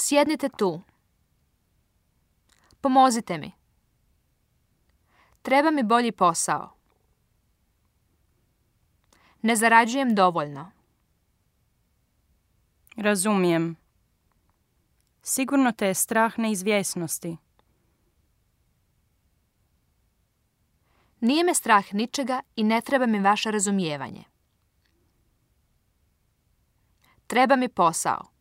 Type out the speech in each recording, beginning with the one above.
Sjednite tu. Pomozite mi. Treba mi bolji posao. Ne zarađujem dovoljno. Razumijem. Sigurno te je strah neizvjesnosti. Nije me strah ničega i ne treba mi vaše razumijevanje. Treba mi posao.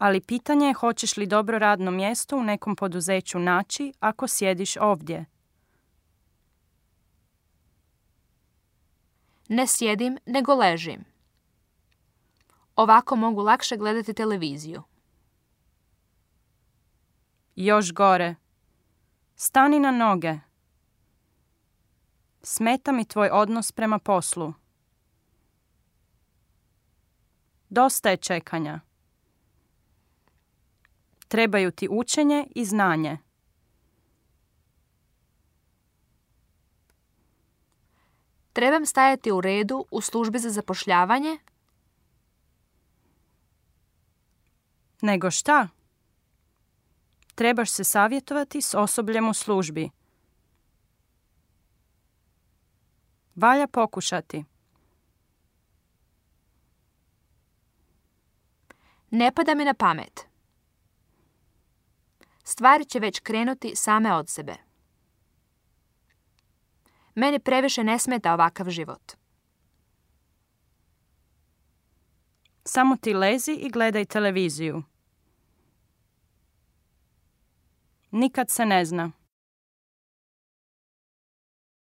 Ali pitanje je hoćeš li dobro radno mjesto u nekom poduzeću naći ako sjediš ovdje. Ne sjedim, nego ležim. Ovako mogu lakše gledati televiziju. Još gore. Stani na noge. Smeta mi tvoj odnos prema poslu. Dosta je čekanja. Trebaju ti učenje i znanje. Trebam stajati u redu u službi za zapošljavanje? Nego šta? Trebaš se savjetovati s osobljem u službi. Valja pokušati. Ne pada mi na pamet. Stvari će već krenuti same od sebe. Meni previše ne smeta ovakav život. Samo ti lezi i gledaj televiziju. Nikad se ne zna.